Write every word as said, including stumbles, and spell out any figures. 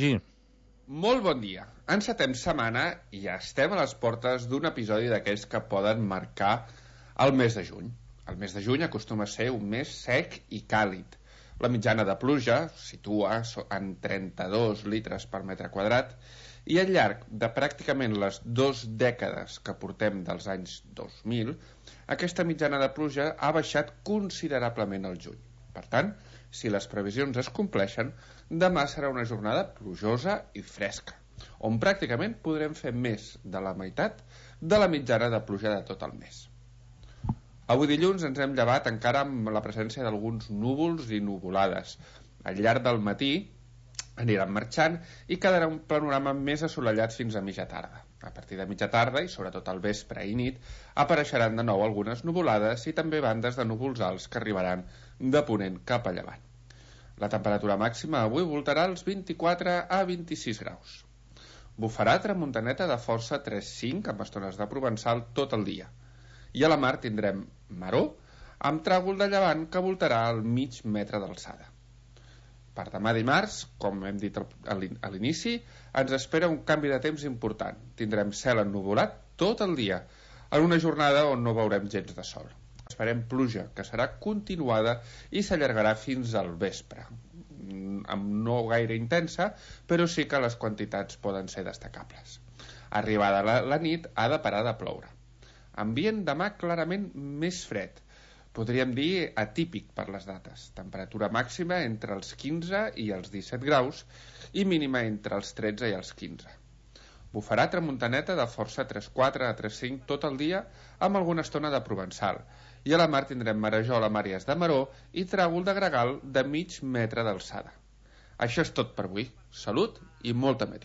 Sí. Molt bon dia. Encetem setmana i ja estem a les portes d'un episodi d'aquells que poden marcar el mes de juny. El mes de juny acostuma a ser un mes sec i càlid. La mitjana de pluja situa en trenta-dos litres per metre quadrat i al llarg de pràcticament les dues dècades que portem dels anys dos mil, aquesta mitjana de pluja ha baixat considerablement al juny. Per tant, si les previsions es compleixen, demà serà una jornada plujosa i fresca, on pràcticament podrem fer més de la meitat de la mitjana de pluja de tot el mes. Avui dilluns ens hem llevat encara amb la presència d'alguns núvols i nuvolades. Al llarg del matí aniran marxant i quedarà un panorama més assolellat fins a mitja tarda. A partir de mitja tarda i sobretot al vespre i nit apareixeran de nou algunes nuvolades i també bandes de núvols alts que arribaran de ponent cap a llevant. La temperatura màxima avui voltarà als vint-i-quatre a vint-i-sis graus. Bufarà tramuntaneta de força tres cinc amb estones de provençal tot el dia. I a la mar tindrem maror amb tràgol de llevant que voltarà al mig metre d'alçada. Per demà dimarts, com hem dit a l'inici, ens espera un canvi de temps important. Tindrem cel ennuvolat tot el dia, en una jornada on no veurem gens de sol. Esperem pluja, que serà continuada i s'allargarà fins al vespre. No gaire intensa, però sí que les quantitats poden ser destacables. Arribada la, la nit, ha de parar de ploure. Ambient demà clarament més fred. Podríem dir atípic per les dates. Temperatura màxima entre els quinze i els disset graus i mínima entre els tretze i els quinze. Bufarà tramuntaneta de força tres quatre a tres cinc tot el dia amb alguna estona de provençal. I a la mar tindrem marejol amb àrees de maror i tràgol de gregal de mig metre d'alçada. Això és tot per avui. Salut i molta meteor.